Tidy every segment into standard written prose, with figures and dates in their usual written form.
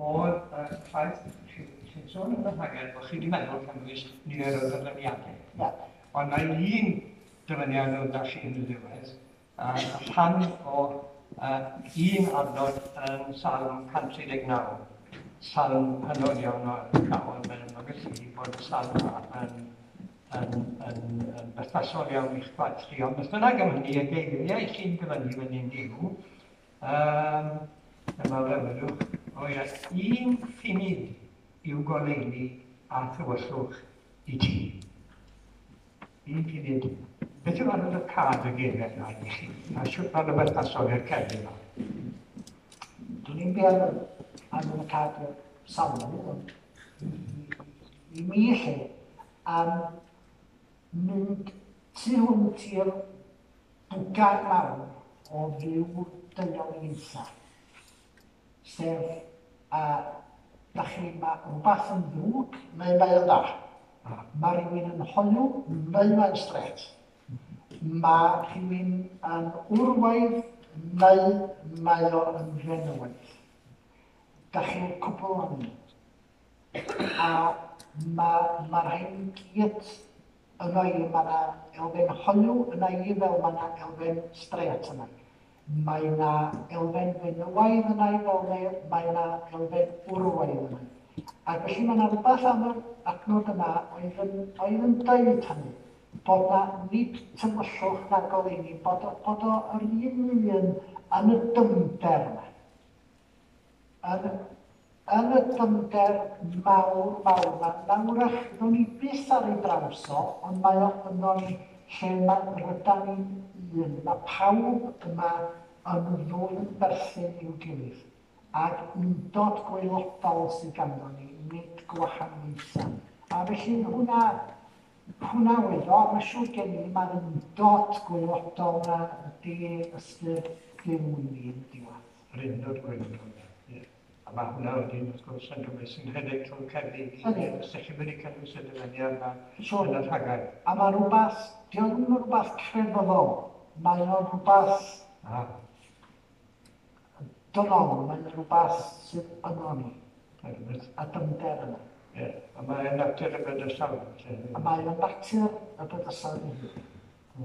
oedd y ffaith, chi'n sôn yn y rhaglen bod chi wedi meddwl cynnwys nifer o ddyfyniadau. Ie. Ond mae un dyfyniad oedd 'da chi yn y diwedd, a rhan o un adnod yn Salm 139, salm hynod iawn o arwyddocaol, mae'n ymddangos i fi bod y salm yma yn berthnasol iawn i'ch gwaith chi. Ond beth bynnag am hynny, y geiriau chi'n dyfynnu fan hyn yw, dyma fe, welwch, o ia, un ffunud yw goleuni a thywyllwch i ti. Un funud. Beth yw arwyddocâd y geiriau yna i chi? A shwt maen nhw'n berthnasol i'r cerddi yma? Dwi'n i'n be arwyddocâd y salm, ond i mi lle, am mynd tu hwnt i'r bwgan mawr o fyw dynoliaethau. Sef, a da chi, mae rhywbeth yn ddrwg neu mae o'n dda. Mae rhywun yn hoyw neu mae'n strêt. Mae rhywun yn wrwaidd neu mae o yn fenywaidd. Da chi'n cwbl ohonyn nhw. A mae ma rhain i gyd yno i, mae yna elfen hoyw yna i fel mae yna elfen strêt yna. Mae yna elfen fenywaidd yna i fel mae, mae yna elfen wrywaidd yna. Ac felly mae yna rhywbeth am yr adnod yma oedd yn, oedd yn deud hynny, bod na nid tywyllwch na goleuni, bod, bod o yr un un yn y dyfnder yma. Yn, yn y dyfnder mawr, mawr 'ma, na wrach ddown ni byth ar ei draws o, ond mae o yno ni lle mae rydan ni'n un. Mae pawb yma yn ddwfn berthyn i'w gilydd, ac undod gwaelodol sydd ganddo ni, nid gwahaniaethau. A felly hwnna, hwnna oedd o, mae'n siŵr gen i, mae'r undod gwaelodol 'na ydy ystyr Duw i mi yn y diwedd. Yr undod gwaelodol 'na, ie. A mae hwnna wedyn, wrth gwrs, yn rhywbeth sy'n rhedeg trwy'r cerddi i gyd. Ydy. Os ydych chi wedi cynnwys y dyfyniad yma Siŵr. yn y rhagair. A mae rhywbeth, dio ddim yn rhywbeth crefyddol, mae o'n rhywbeth dynol, mae'n rhywbeth sydd yno ni, a dyfnder yna. Ie, a mae'n natur y bydysawd. Felly. A mae o'n natur y bydysawd ei hun.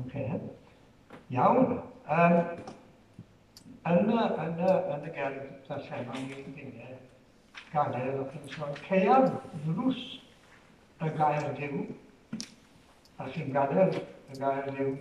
Ocê. Iawn. Yn y gerdd ddarllenon ni gynne, gadael o'ch chi'n sôn, caeaf ddrws y gair Duw, a chi'n gadael y gair Duw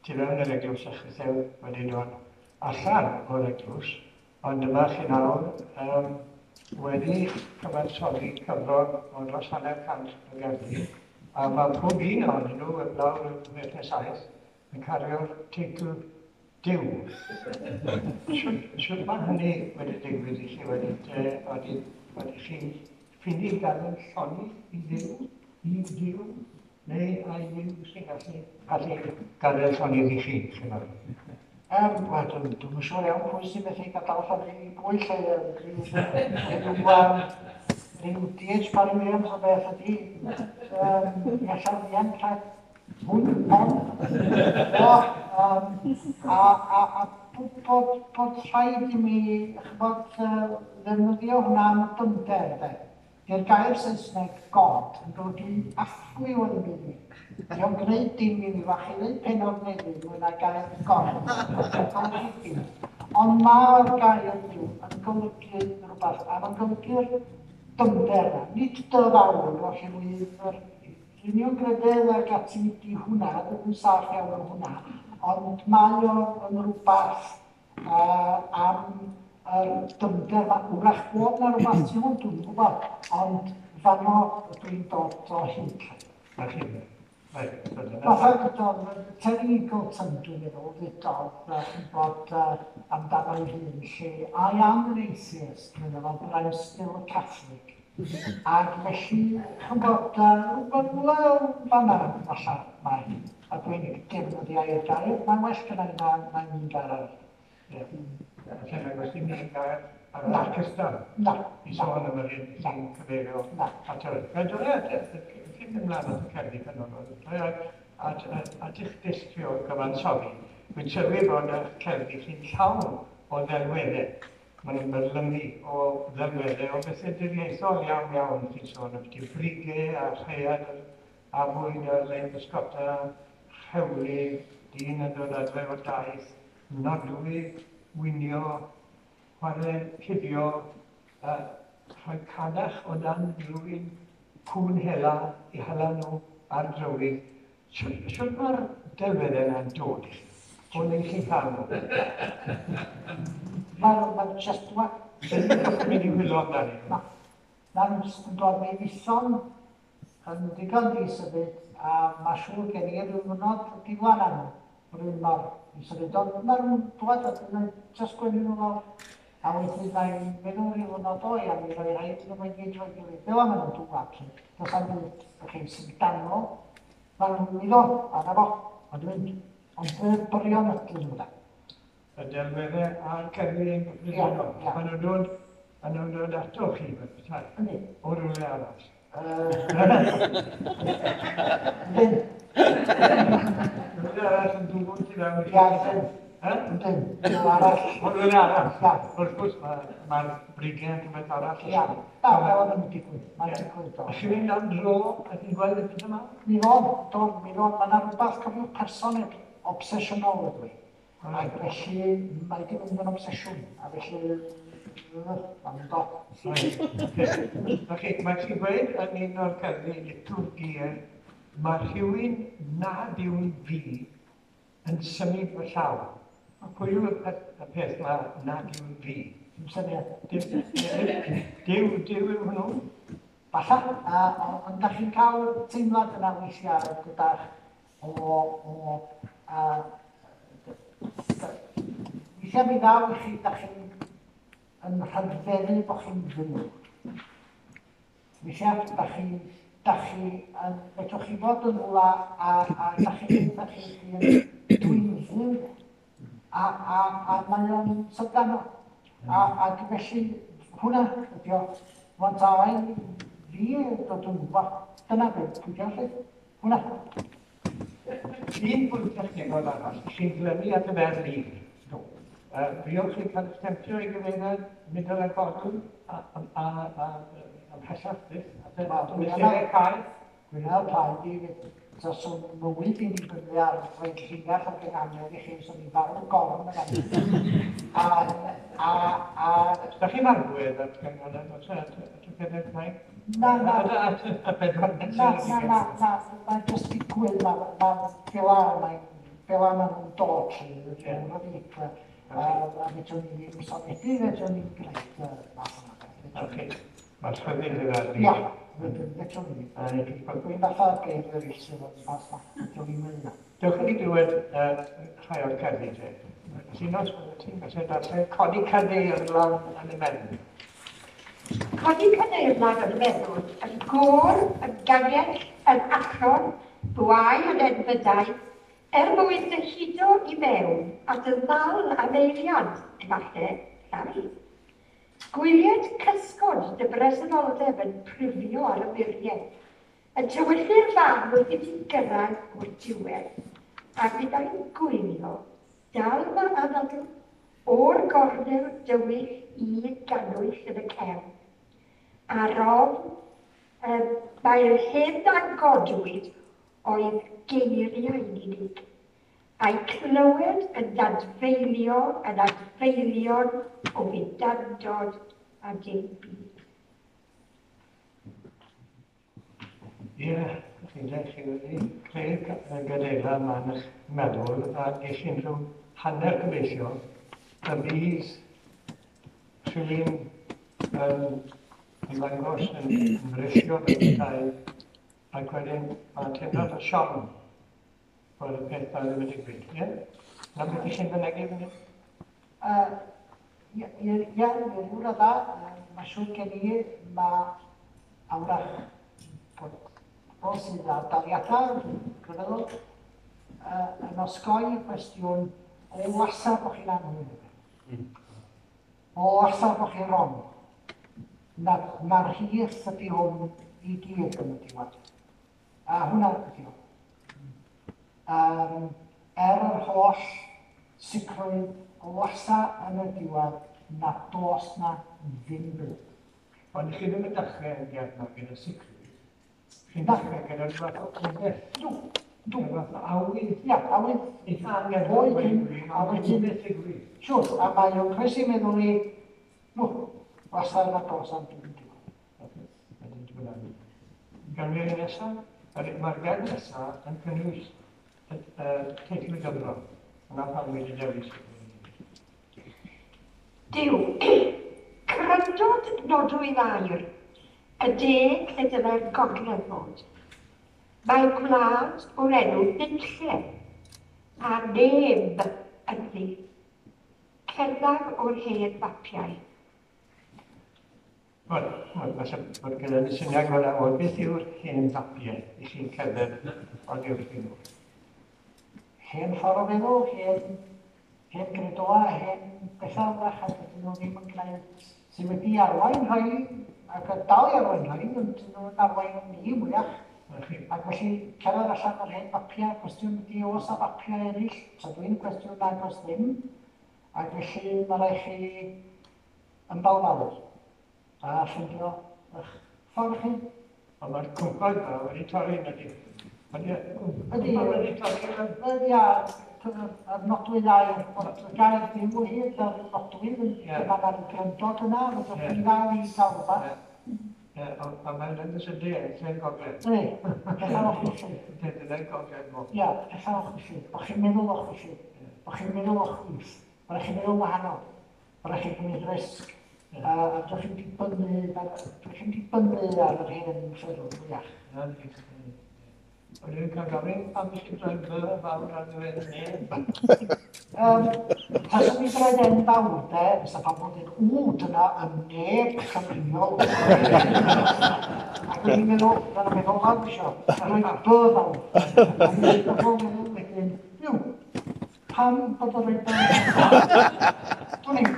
tu fewn yr eglwys a chitheu wedi dod allan o'r eglwys, ond dyma chi nawr wedi cyfansoddi cyfrol o dros 50 o gerddi, a mae pob un ohonyn nhw, heblaw'r 6 neu 7, yn cario'r teitl Duw. Shwt mae hynny wedi digwydd i chi wedyn te? Odi, odi chi'n ffili gadael llonydd i Dduw, i Dduw, neu ai Dduw sy'n gallu gallu gadael llonydd i chi, chi'n meddwl? Wel, dwi'm yn siŵr iawn pwy sy'n methu gadael llonydd i bwy lle, rhyw D.H. Parry Williams o beth ydi. Mi allaf ddianc rhag hwn, hon, o, a bod rhaid i mi, ch'bod, ddefnyddio hwnna am y dyfnder, de. Di'r gair Saesneg God yn golygu affliw o ddim byd i mi. Dio'n gwneud dim i mi, fach i ddeud pennod newydd mwy na gair God. Yn golygu dim. Ond mae'r gair Duw yn golygu rhywbeth, a mae'n golygu'r dyfnder yna. Nid dy fawr, oherwydd yr uniongrededd ac ati di hwnna, ddim yn saff iawn am hwnna, ond mae o yn rhywbeth am yr dyfnder yma. Wrach bod na rhywbeth tu hwnt, dwi'm yn gwybod, ond fanno dwi'n dod o hyd. Na chi, reit, dyna. Fatha gyda Terry Eagleton, dwi'n meddwl, ddudodd, chi'n bod amdano ei hun, lle I am an atheist, meddwl fo, but I'm still a Catholic. Ac felly, chi'n bod, rhywbeth wel, fanna, falle, mae. A dwi'n defnyddio i'r gair, mae'n well gyda i na un gair arall. Ie. Felly, nag oes dim un gair arall cystal. Na. I sôn am yr un sy'n cyfeirio at yr... Fe dwi at, cyn mynd mlaen at y cerddi penodol, dwi at eich dull chi o gyfansoddi. Dwi'n sylwi bod eich cerddi chi'n llawn o ddelweddau. Maen nhw'n byrlymu o ddelweddau o bethau diriaethol iawn iawn chi'n sôn am brigau a rhaeadr a fwyd ar lein bysgota, rhewlydd, dyn yn dod adre o daith, nodwy, winio, chwarae cuddio, rhoi cadach o dan drwy'n cwn hela i hala nhw ar drywydd. Shwt mae'r delweddau yna'n dod i chi? O neu chi'n cael nhw? Mae'n just dwa. Dwi'n mynd i wylo amdani. Na. Mae'n just yn dod mewn ison yn ddigon di-symud a mae siŵr gen i ryw ddwrnod diflan am rhywun mor i-symud. Ond mae'n dod a dwi'n just gwenu nhw lawr. A wedyn mae'n meddwl rhyw ddwrnod o ia, mi roi rhaid nhw mae'n gyd rhoi gilydd. Fel am nhw'n dŵad. Does am byd chi'n syfrdanol. Mae'n mynd o, a na fo. Ond dwi'n mynd. Ond byrion ydyn nhw da. Y delweddau a'r cerddi yn gyffredinol. Maen nhw'n dod ato chi, fel petai. Yndi. O rywle arall. Yndyn. Rhywle arall yn dŵr tu fewn i chi. Ia, yndyn. Yndyn. Rhywle arall. O rhywle arall. Ia. Wrth gwrs, mae'r brigau yn rhywbeth arall. Ia. Na, fel o'n digwydd. Mae'n digwydd. A chi'n mynd am dro a chi'n gweld y peth yma? Mi fod, do, mi fod. Mae yna rhywbeth, cofiwch, person obsesiynol ydw i. Ac felly mae wedi mynd yn obsesiwn, a felly mae'n mynd o. Mae chi'n gweud yn un o'r cerddi liturgia, mae rhywun nad yw'n fi yn symud fy llaw. Pwy yw y peth ma nad yw'n fi? Dim syniad. Duw yw hwnnw? Falla, ond da chi'n cael teimlad yna weithiau gyda'ch o weithiau mi ddaw i chi, da chi'n yn rhagfeddu bod chi'n fyw. Weithiau, da chi, fedrwch chi fod yn rhywle a da chi'n dwi'n fyw a mae o'n syfrdanol. Ac felly, hwnna ydi o. Rwan ta fi dod yn gwybod, dyna beth, pwy diolch, hwnna. Un pwynt technegol arall, chi'n glynu at y fer lif. Do. Fuoch chi'n cael eich temtio i gyfeiriad middle a godl a ymhellach byth at y mesurau caeth? Gwynedd plaid i fyd. Taswn mywyd i'n dibynnu ar rhoi llinell ac yn angen i chi, swn i'n farw gorn yn angen. Da chi'n argwedd at gynghanedd, at y pedair caeth? Na, na. At y pedwar Na, na, na, na. Mae'n jyst digwydd, fel a maen nhw'n dod, lly. A fedrwn ni ddim sonedi, fedrwn ni'n gwneud math yma. Mae'r rhyddid yna. Ia, fedrwn ni. Dwi'n fatha geir eraill sydd yn fath yma. Fedrwn ni'n mynd yna. Dewch i ni glywed rhai o'r cerddi te. Llinos, ti'n gallu darllen Codi Cadeirlan yn y Meddwl. Codi Cadeirlan yn y Meddwl, yn gôr, yn gangell, yn achron, bwau yn enfydau, er mwyn dyhudo i mewn at y ddal am eiliad, efallai, llai. Gwylied cysgod dy bresenoldeb yn prifio ar y muriau, yn tywyllu'r fan wrth i ti gyrraedd o'r diwedd, a fyddai'n gwylio dal fy anadl o'r gornel dywyll i gannwyll yn y cefn. Ar ofn, mae'r hyn a godwyd oedd geiriau'n unig, a'i clywed yn dadfeilio yn adfeilion o fudandod a dim byd. Ie, chi'n dweud, chi wedi creu'r gadeirlan yma yn eich meddwl a ges i'n rhyw hanner gobeithio y bydd rhywun yn ymddangos yn ymrithio fel petai ac wedyn mae'n teimlad o siom bod y peth na ddim yn digwydd, ie? Na beth i chi'n fynegi fan hyn? Ie, i ryw radda, mae siŵr gen i, mae awrach bod pobl sydd â daliadau crefyddol yn osgoi y cwestiwn o wasa bod chi'n anghywir. O wasa bod chi'n wrong. Mae'r rhith ydy hwn i gyd yn y diwedd. A hwnna ydy hwn. Er yr holl sicrwydd o wasa yn y diwedd, na dos na ddim byd. Ond chi ddim yn dechrau yn gerdd yma gyda sicrwydd. Chi'n dechrau gyda rhywbeth o obaith. Dw, dw. Rhywbeth o awydd. Ia, awydd. Eitha angerddol. Oed yn- A wedyn beth ddigwydd. Siwr, a mae o'n croesi meddwl i, no, wastad na dos am dim digwydd. Wedyn dwi'n meddwl. Gan fi nesaf, mae'r gerdd nesaf yn cynnwys y teitl y gyfrol. Yna pam wedi dewis. Duw, cryndod nodwydd aur, y de lle dylai'r gogledd fod. Mae gwlad o'r enw Nunlle, a neb ynddi. Cerddaf o'r hen fapiau. Wel, falle bod gyda ni syniad fel o beth yw'r hen fapiau i chi'n cerdded oddi wrthyn nhw. Hen ffordd o feddwl, hen gredoa, hen bethau wrach, a dydyn nhw ddim yn gwneud sydd wedi arwain rhai, ac yn dal i arwain rhai, ond dydyn nhw'n arwain ni mwyach. Ac felly, cerdded allan o'r hen fapiau, cwestiwn ydy oes a fapiau eraill, so dwi'n cwestiwn nag oes ddim, ac felly mae rhaid chi ymbalfalu a ffindio eich ffordd chi. Ond mae'r cwmpawd yma wedi torri yn ydy. Ydy. Cwmpawd wedi torri yn Ydy, a yr nodwydd aur, bod y gair Duw o hyd a'r nodwydd yn gyfan ar y gryndod yna, fydwch chi'n ddal i gael rhywbeth. Ie, a mae'n yn y sydi, lle'n gogledd. Ydy, pethau o'ch felly. Dyna'n gogledd mo. Ia, pethau o'ch felly. O'ch chi'n meddwl o'ch felly. O'ch chi'n meddwl o'ch chwith. O'ch chi'n meddwl wahanol. O'ch chi'n gwneud risg. A dych chi'n dibynnu ar yr hen ffyrdd mwyach. O'n i'n cael gofyn pam chi droi by fawr ar ddiwedd y neb. Taswn i droed en fawr de, fysa pobl yn dweud, ww, dyna y neb Cymreol. Ac o'n i'n meddwl, dyna meddwl lawr isio, rhoi by fawr. Ac o'n i'n meddwl wedyn, yw, pam bod o'n rhoi by fawr? Dwi'n i'n.